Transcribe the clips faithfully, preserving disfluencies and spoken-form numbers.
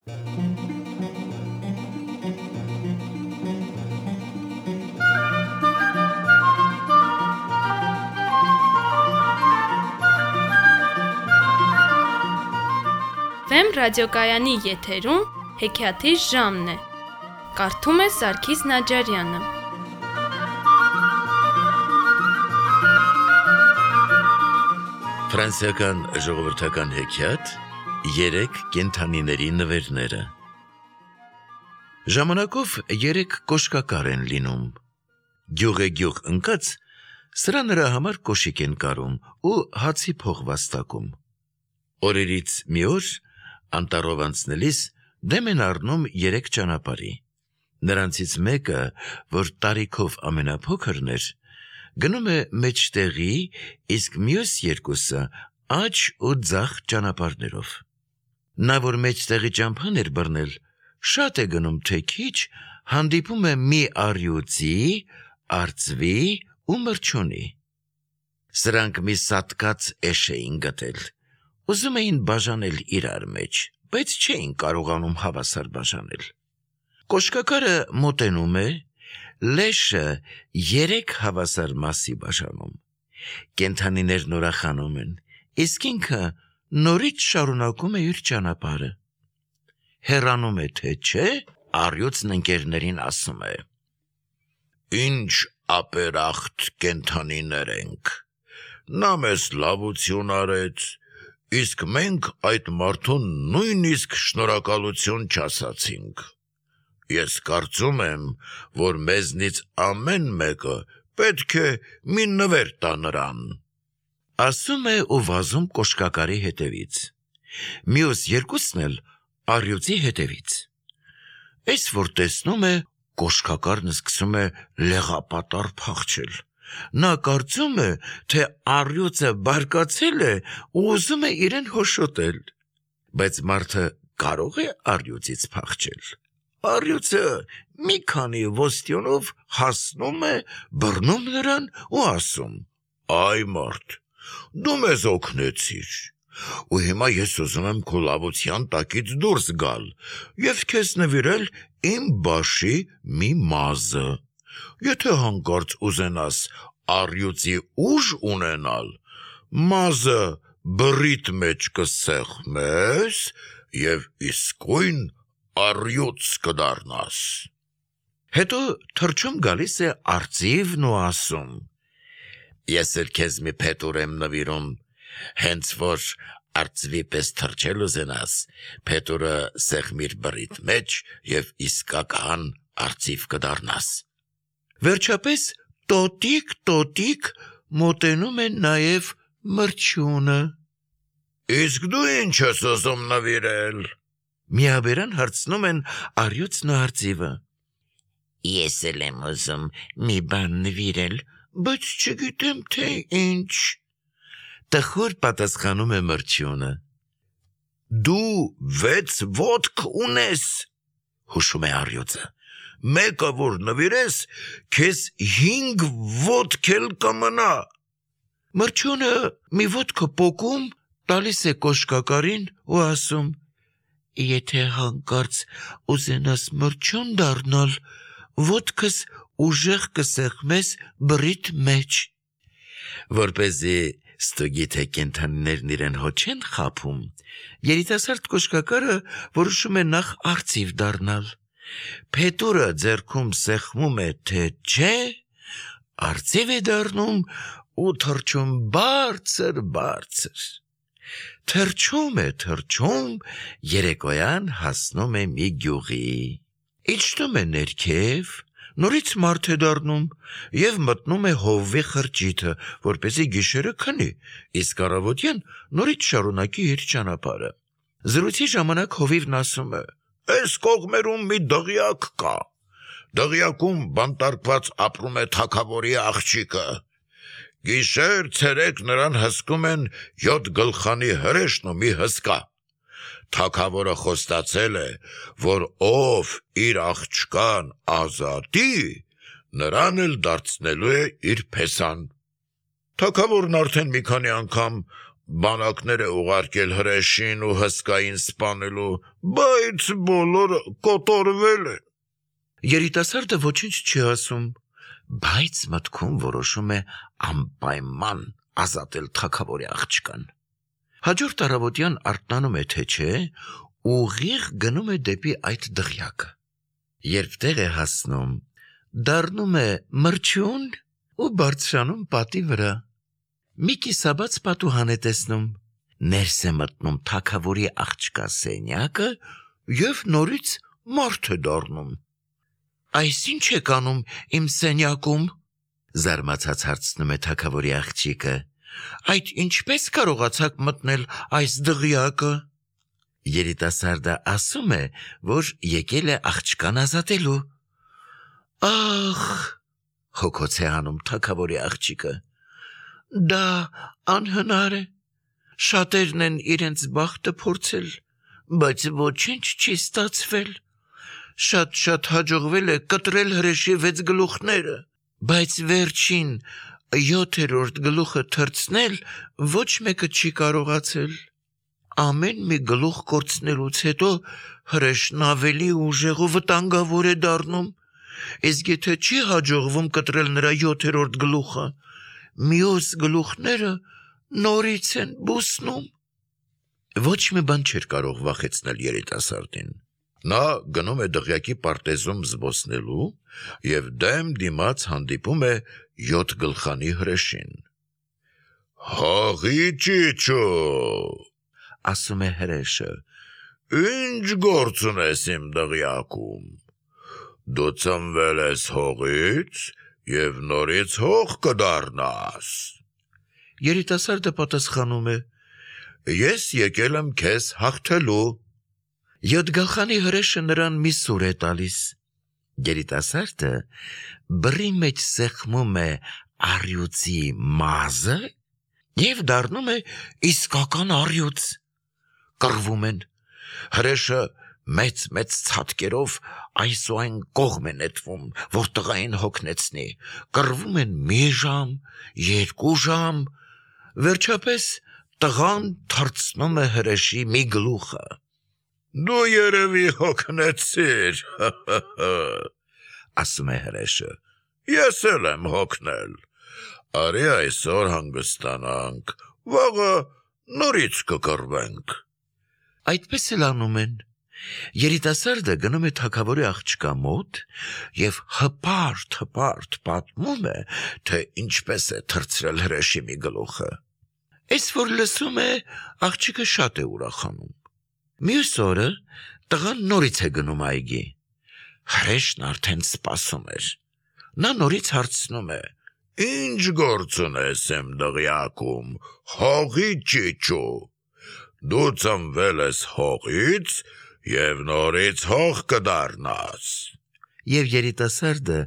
Վեմ ռադիոկայանի եթերում հեքիաթի ժամն է։ Կարդում է Սարգիս Նաջարյանը։ Ֆրանսիական ժողովրդական հեքիաթ երեք կենդանիների նվերները։ Ժամանակով երեք կոշկակար են լինում։ Գյուղ է գյուղ ընկած, սրա նրա համար կոշիկ են կարում ու հացի փող վաստակում։ Օրերից մի օր անտառով անցնելիս դեմ են առնում երեք ճանապարհի։ Նրանցից մեկը, որ տարիքով ամենափոքրն էր, գնում է մեջտեղի, իսկ մյուս երկուսը աջ ու ձախ ճանապարհներով։ Նա, որ մեջտեղի ճամփան էր բռնել, շատ է գնում թե քիչ, հանդիպում է մի առյուծի, արծվի ու մրջյունի։ Սրանք մի սատկած էշ էին գտել։ Ուզում էին բաժանել իրար մեջ, բայց չէին կարողանում հավասար բաժանել։ Կոշկակարը մոտենում է, լեշը երեք հավասար մասի բաժանում։ Կենդանիներն ուրախանում են, իսկ ինքը նորից շարունակում է իր ճանապարհը։ Հեռանում է թե չէ, առյուծն ընկերներին ասում է. «Ինչ ապերախտ կենդանիներ ենք, նա մեզ լավություն արեց, իսկ մենք այդ մարդուն նույնիսկ շնորհակալություն չասացինք։ Ես կարծում եմ, որ մեզնից ամեն մեկը պետք է մի նվեր տա նրան»։ Ասում է ու վազում կոշկակարի հետևից։ Մյուս երկուսն էլ առյուծի հետևից։ Էս որ տեսնում է, կոշկակարն սկսում է լեղապատառ փախչել։ Նա կարծում է, թե առյուծը բարկացել է ու ուզում է իրեն հոշոտել։ Բայց մարդը կարող է առյուծից փախչել։ Առյուծը մի քանի ոստյոնով հասնում է, բռնում նրան ու ասում. «Այ մարդ, դու մեզ օգնեցիր, ու հիմա ես ուզում եմ քո լավության տակից դուրս գալ և քեզ նվիրել իմ բաշի մի մազը։ Եթե հանկարծ ուզենաս առյուծի ուժ ունենալ, մազը բռիդ մեջ կսեղմես և իսկույն առյուծ կդառնաս»։ Հետո թռչում գալիս է արծիվն ու ասում. «Ես էլ քեզ մի փետուր եմ նվիրում, հենց որ արծվի պես թռչել ուզենաս, փետուրը սեղմիր բռիդ մեջ և իսկական արծիվ կդառնաս»։ Վերջապես տոտիկ-տոտիկ մոտենում է նաև մրջյունը։ «Իսկ դու ինչ ես ուզում նվիրել»։ Միաբերան հարցնում են առյուծն ու արծիվը։ «Ես էլ եմ ուզում մի բան նվիրել, բայց չգիտեմ թե ինչ», տխուր պատասխանում է մրջյունը։ «Դու վեց ոտք ունես», հուշում է առյուծը։ «Մեկը որ նվիրես, քեզ հինգ ոտք էլ կմնա»։ Մրջյունը մի ոտքը պոկում, տալիս է կոշկակարին ու ասում. «Եթե հանկարծ ուզենաս մրջյուն դառնալ, ոտքս ուժեղ կսեղմես բռիդ մեջ»։ Որպեսզի ստուգի թե կենդանիներն իրեն հո չեն խաբում, երիտասարդ կոշկակարը որոշում է նախ արծիվ դառնալ։ Փետուրը ձեռքում սեղմում է թե չէ, արծիվ է դառնում ու թռչում բարձր-բարձր։ Թռչում է, թռչում, երեկոյան հասնում է մի գյուղի։ Իջնում է ներքև, նորից մարդ է դառնում և մտնում է հովվի խրճիթը, որպեսզի գիշերը քնի, իսկ առավոտյան նորից շարունակի իր ճանապարհը։ Զրույցի ժամանակ հովիվն ասում է. «Էս կողմերում մի դղյակ կա։ Դղյակում բանտարկված ապրում է թագավորի աղջիկը։ Գիշեր ցերեկ նրան հսկում են յոթ գլխանի հրեշն ու մի հսկա։ Թագավորը խոստացել է, որ ով իր աղջկան ազատի, նրան էլ դարձնելու է իր փեսան։ Թագավորն արդեն մի քանի անգամ բանակներ է ուղարկել հրեշին ու հսկային սպանելու, բայց բոլորը կոտորվել են։ Երիտասարդը ոչինչ չի ասում, բայց մտքում որոշում է անպայման ազատել թագավորի աղջկան։ Հաջորդ առավոտյան արթնանում է, թե չէ, ուղիղ գնում է դեպի այդ դղյակը։ Երբ տեղ է հասնում, դառնում է մրջուն ու բարձրանում պատի վրա։ Մի կիսաբաց պատուհան է տեսնում, ներս է մտնում թագավորի աղջկա սենյակը և նորից մարդ է դառնում։ Այս ինչ եք անում իմ սենյակում, զարմացած հարցնում է թագավորի աղջիկը, այդ ինչպես կարողացաք մտնել այս դղյակը։ Երիտասարդը ասում է, որ եկել է աղջկան ազատելու։ Ախ, հոգոց է անում թագավորի աղջիկը, դա անհնար է, շատերն են իրենց բախտը փորձել, բայց ոչինչ չի ստացվել, շատ-շատ հաջողվել է կտրել հրեշի վեց գլուխները, բայց վերջին յոթերորդ գլուխը թռցնել ոչ մեկը չի կարողացել։ Ամեն մի գլուխ կորցնելուց հետո հրեշն ավելի ուժեղ ու վտանգավոր է դառնում, իսկ եթե չի հաջողվում կտրել նրա յոթերորդ գլուխը, մյուս գլուխները նորից են բուսնում։ Ոչ մի բան չէր կարող վախեցնել երիտասարդին։ Նա գնում է դղյակի պարտեզում զբոսնելու և դեմ դիմաց հանդիպում է յոթ գլխանի հրեշին։ Հաղի ճիճո, ասում է հրեշը, ինչ գործ ունես իմ դղյակում, դու ծնվել ես հողից և նորից հող կդառնաս։ Երիտասարդը պատասխանում է, ես եկել եմ քեզ հաղթելու։ Յոթ գլխանի հրեշը նրան մի սուր է տալիս։ Երիտասարդը բռի մեջ սեղմում է առյուծի մազը և դառնում է իսկական առյուծ։ Կռվում են։ Հրեշը մեծ-մեծ ցատկերով այս ու այն կողմ է նետվում, որ տղային հոգնեցնի։ Կռվում են մի ժամ, երկու ժամ, վերջապես տղան թռցնում է հրեշի մի գլուխը։ Դու երևի հոգնեցիր, ասում է հրեշը, ես էլ եմ հոգնել, արի այսօր հանգստանանք, վաղը նորից կկռվենք։ Այդպես էլ անում են։ Երիտասարդը գնում է թագավորի աղջկա մոտ և հպարտ-հպարտ պատմում է, թե ինչպես է թռցրել հրեշի մի գլուխը։ Էս որ լսում է, աղջիկը շատ է ուրախանում։ Մյուս օրը տղան նորից է գնում այգի։ Հրեշն արդեն սպասում էր։ Նա նորից հարցնում է. Ինչ գործ ունես իմ դղյակում, հողի ճիճո։ Դու ծնվել ես հողից և նորից հող կդառնաս։ Եվ երիտասարդը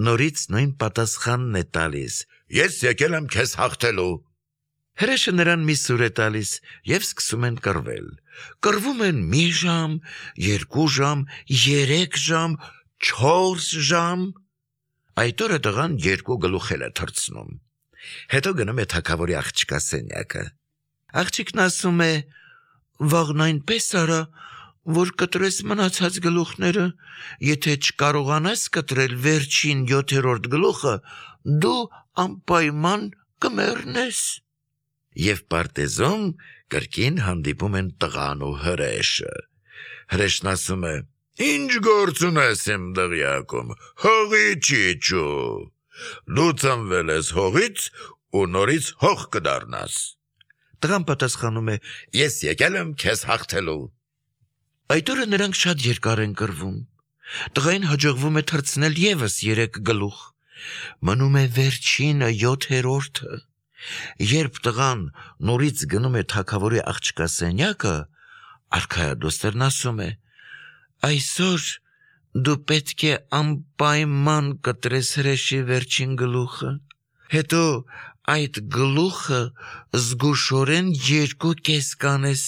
նորից նույն պատասխանն է տալիս. Ես եկել եմ քեզ հաղթելու։ Հրեշը նրան մի սուր է տալիս և սկսում են կռվել։ Կռվում են մի ժամ, երկու ժամ, երեք ժամ, չորս ժամ։ Այդ օրը տղան երկու գլուխ էլ է թռցնում։ Հետո գնում է թագավորի աղջկա սենյակը։ Աղջիկն ասում է. վաղն այնպես արա, որ կտրես մնացած գլուխները, եթե չկարողանաս կտրել վերջին յոթերորդ գլուխը, դու անպայման կմեռնես։ Եվ պարտեզում կրկին հանդիպում են տղան ու հրեշը։ Հրեշն ասում է. Ինչ գործ ունես իմ դղյակում, հողի ճիճո։ Դու ծնվել ես հողից ու նորից հող կդառնաս։ Տղան պատասխանում է. Ես եկել եմ քեզ հաղթելու։ Այդ օրը նրանք շատ երկար են կռվում։ Տղային հաջողվում է թռցնել ևս երեք գլուխ։ Մնում է վերջինը յոթերորդը։ Երբ տղան նորից գնում է թագավորի աղջկա սենյակը, արքայադոստերն ասում է. Այսօր դու պետք է անպայման կտրես հրեշի վերջին գլուխը, հետո այդ գլուխը զգուշորեն երկու կես կանես,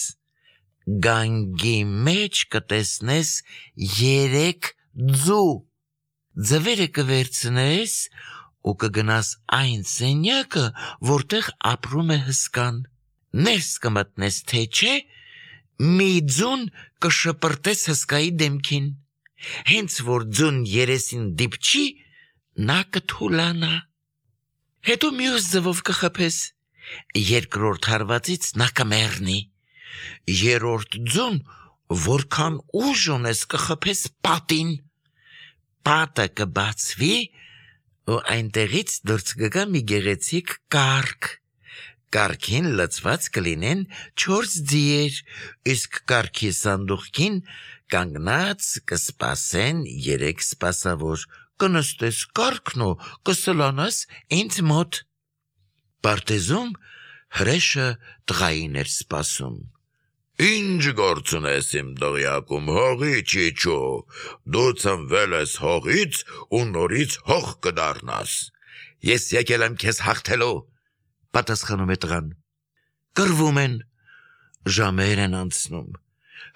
գանգի մեջ կտեսնես երեք ձու, ձվերը կվերցնես ու կգնաս այն սենյակը, որտեղ ապրում է հսկան։ ներս կմտնես թե չէ, մի ձուն կշպրտես հսկայի դեմքին, հենց որ ձուն երեսին դիպչի, նա կթուլանա, հետո մյուս ձվով կխփես, երկրորդ հարվածից նա կմեռնի, երրորդ ձուն, որքան ուժ ունես կխփես պատին, պատը կբացվի ու այնտեղից դուրս կգա մի գեղեցիկ կառք, կառքին լցված կլինեն չորս ձիեր, իսկ կառքի սանդուղքին կանգնած կսպասեն երեք սպասավոր, կնստես կառքն ու կսլանաս ինձ մոտ։ Պարտեզում հրեշը տղային էր սպասում։ Ինչ գործ ունես իմ դղյակում, հողի չիչու, դու ծնվել ես հողից ու նորից հող կդառնաս։ Ես եկել եմ քեզ հաղթելու, պատասխանում է տղան։ Կռվում են, ժամեր են անցնում,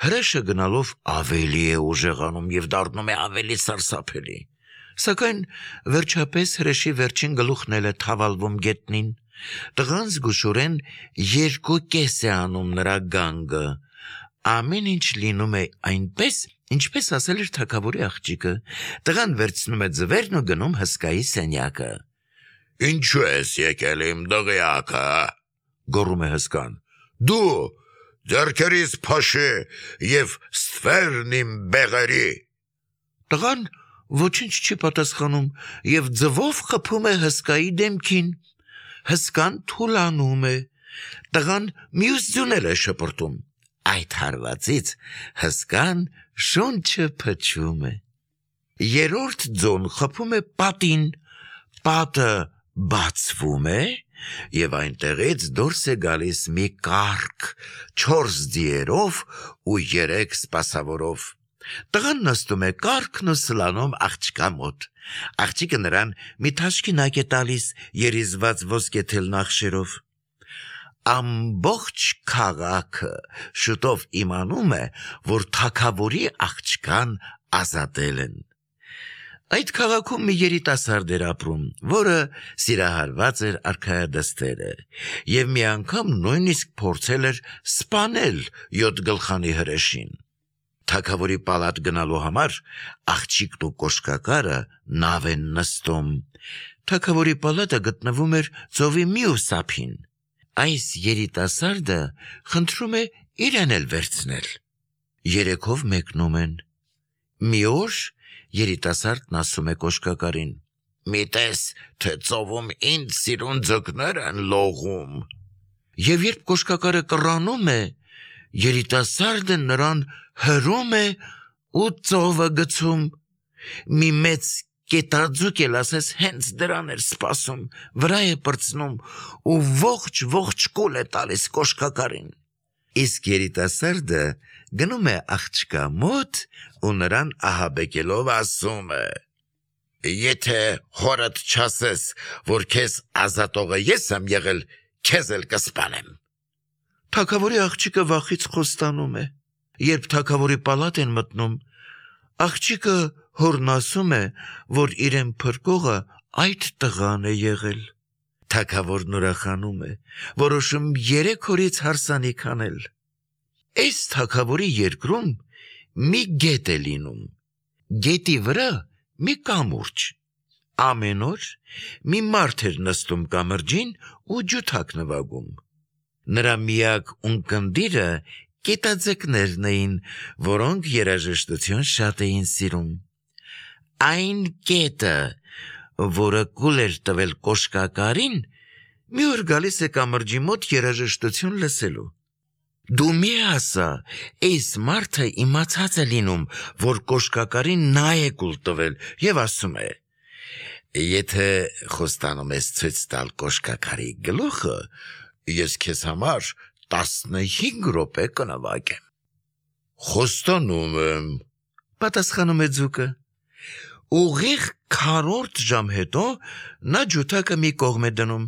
հրեշը գնալով ավելի է ուժեղանում և դառնում է ավելի սարսափելի, սակայն վերջապես հրեշի վերջին գլուխն էլ է թավալվում գետնին, տղան զգուշորեն երկու կես է անում նրա գանգը, ամեն ինչ լինում է այնպես, ինչպես ասել էր թագավորի աղջիկը, տղան վերցնում է ձվերն ու գնում հսկայի սենյակը։ Ինչու ես եկել իմ դղյակը, գոռում է հսկան, դու ձեռքերիս փաշի և ստվերն իմ բեղերի։ Տղան ոչինչ չի պատասխանում և ձվով խփում է հսկայի դեմքին, հսկան թուլանում է, տղան մյուս ձունել է շպրտում, այդ հարվածից հսկան շունչը փչում է, երրորդ ձուն խփում է պատին, պատը բացվում է և այնտեղից դուրս է գալիս մի կառք չորս ձիերով ու երեք սպասավորով, տղան նստում է կառքն ու սլանում աղջկա մոտ, աղջիկը նրան մի թաշկինակ է տալիս երիզված ոսկե թելնախշերով, ամբողջ քաղաքը շուտով իմանում է, որ թագավորի աղջկան ազատել են։ Այդ քաղաքում մի երիտասարդ էր ապրում, որը սիրահարված էր արքայադստերը և մի անգամ նույնիսկ փորձել էր սպանել յոթ գլխանի հրեշին։ Թագավորի պալատ գնալու համար աղջիկն ու կոշկակարը նավ են նստում։ Թագավորի պալատը գտնվում էր ծովի մյուս ափին։ Այս երիտասարդը խնդրում է իրեն էլ վերցնել։ Երեքով մեկնում են։ Մի օր երիտասարդն ասում է կոշկակարին. մի տես, թե ծովում ինձ սիրուն ձկներ են լողում։ Եվ երբ կոշկակարը կռանում է, երիտասարդը նրան հրում է ու ծովը գցում։ Մի մեծ կետաձուկ էլ ասես հենց դրան էր սպասում, վրա է պրծնում ու ողջ-ողջ կուլ է տալիս կոշկակարին։ Իսկ երիտասարդը գնում է աղջկա մոտ ու նրան ահաբեկելով ասում է. Եթե հորդ չասես, որ քեզ ազատողը ես եմ եղել, քեզ էլ կսպանեմ։ Թագավորի աղջիկը վախից խոստանում է։ Երբ թագավորի պալատ են մտնում, աղջիկը հորն ասում է, որ իրեն փրկողը այդ տղան է եղել։ Թագավորն ուրախանում է, որոշում երեք օրից հարսանիք անել։ Այս թագավորի երկրում մի գետ է լինում, գետի վրա մի կամուրջ, ամեն օր մի մարդ էր նստում կամրջին ու ջութակ նվագում, նրա միակ ունկնդիրը կետաձկներն էին, որոնք երաժշտություն շատ էին սիրում, այն կետը, որը կուլ էր տվել կոշկակարին, մի օր գալիս է կամրջի մոտ երաժշտություն լսելու։ Դու մի ասա, այս մարդը իմացած է լինում, որ կոշկակարին նա է կուլ տվել և ասում է. եթե խոստանում ես ցույց տալ կոշկակարի գլուխը, ես քեզ համար տասնհինգ րոպե կնվագեմ։ Խոստանում եմ, պատասխանում է ձուկը։ Ուղիղ քառորդ ժամ հետո նա ջութակը մի կողմ է դնում։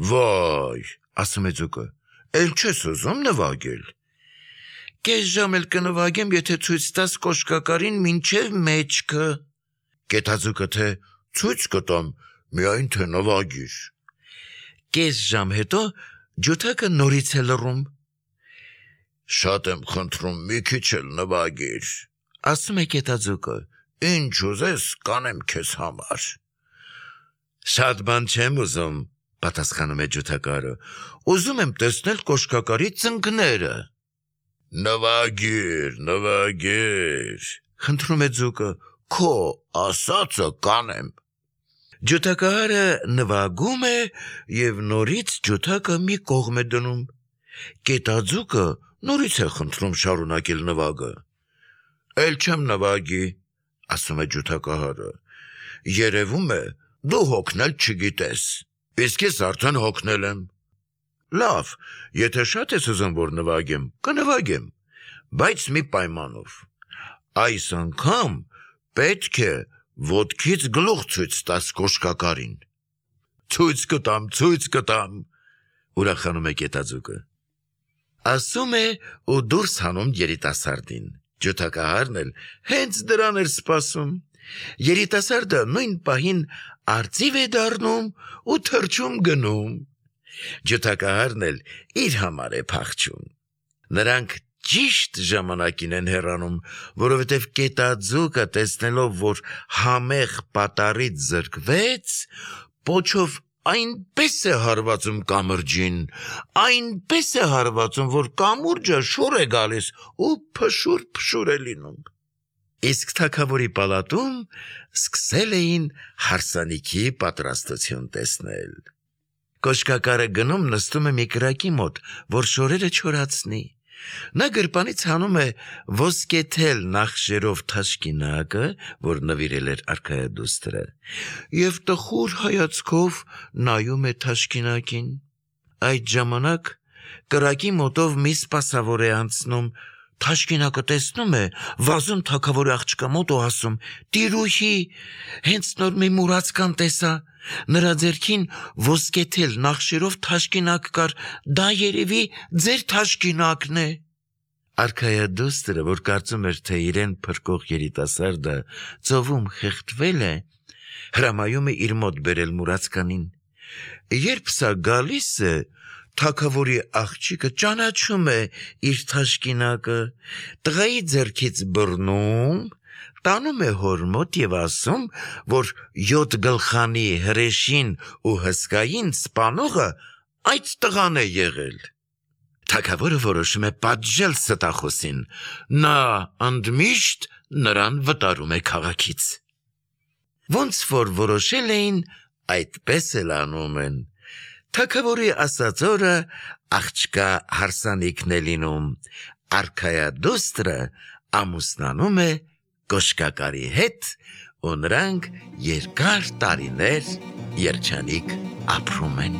Վայ, ասում է ձուկը, էլ չես ուզում նվագել։ Կես ժամ էլ կնվագեմ, եթե ցույց տաս կոշկակարին մինչև մեջքը։ Կետաձուկը թե ցույց կտամ, միայն թե նվագիր։ Կես ժամ հետո Ջութակը նորից է լռում։ Շատ եմ խնդրում մի քիչ էլ նվագիր, Ասում է կետաձուկը։ ինչ ուզես կանեմ քեզ համար։ Շատ բան չեմ ուզում, պատասխանում է ջութակարը։ Ուզում եմ տեսնել կոշկակարի ծնկները։ Նվագիր, նվագիր, Խնդրում է ձուկը։ քո ասածը կանեմ։ Ջութակահարը նվագում է եւ նորից ջութակը մի կողմ է դնում։ Կետաձուկը նորից է խնդրում շարունակել նվագը։ Էլ չեմ նվագի, Ասում է ջութակահարը։ երևում է դու հոգնել չգիտես, իսկ ես արդեն հոգնել եմ։ Լավ, եթե շատ ես ուզում որ նվագեմ, կնվագեմ, բայց մի պայմանով։ Այս անգամ պետք է ոտքից գլուխ ցույց տաս կոշկակարին։ Ցույց կտամ, ցույց կտամ։ Ուրախանում է կետաձուկը։ Ասում է ու դուրս հանում երիտասարդին։ Ջութակահարն էլ հենց դրան էր սպասում։ Երիտասարդը նույն պահին արծիվ է դառնում ու թռչում գնում։ Ջութակահարն էլ իր համար է փախչում։ Նրանք ճիշտ ժամանակին են հեռանում, որովհետև կետաձուկը տեսնելով, որ համեղ պատառից զրկվեց, պոչով այնպես է հարվածում կամրջին, այնպես է հարվածում, որ կամուրջը շուռ է գալիս ու փշուր-փշուր է լինում։ Իսկ թագավորի պալատում սկսել էին հարսանիքի պատրաստություն տեսնել։ Կոշկակարը գնում նստում է մի կրակի մոտ, որ շորերը չորացնի։ Նա գրպանից հանում է ոսկեթել նախշերով թաշկինակը, որ նվիրել էր արքայադուստրը, եւ տխուր հայացքով նայում է թաշկինակին։ Այդ ժամանակ կրակի մոտով մի սպասավոր է անցնում։ Թաշկինակը տեսնում է վազում թագավորի աղջկա մոտ ու ասում. «Տիրուհի, հենց նոր մի մուրացկան տեսա, նրա ձեռքին ոսկեթել նախշերով թաշկինակ կար, դա երևի ձեր թաշկինակն է»։ Արքայադուստրը, որ կարծում էր, թե իրեն փրկող երիտասարդը ծովում խեղդվել է, հրամայում է իր մոտ բերել մուրացկանին։ Երբ սա գալիս է, թագավորի աղջիկը ճանաչում է իր թաշկինակը, տղայի ձեռքից բռնում, տանում է հոր մոտ եւ ասում, որ յոթ գլխանի հրեշին ու հսկային սպանողը այդ տղան է եղել։ Թագավորը որոշում է պատժել ստախոսին, նա ընդմիշտ նրան վտարում է քաղաքից։ Ոնց որ որոշել էին, այդպես էլ անում են։ Թագավորի ասած օրը աղջկա հարսանիքն է լինում, արքայադուստրը ամուսնանում է կոշկակարի հետ ու նրանք երկար տարիներ երջանիկ ապրում են։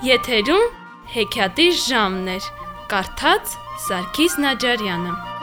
Եթերում հեքիաթի ժամն էր։ Կարդաց Սարգիս Նաջարյանը։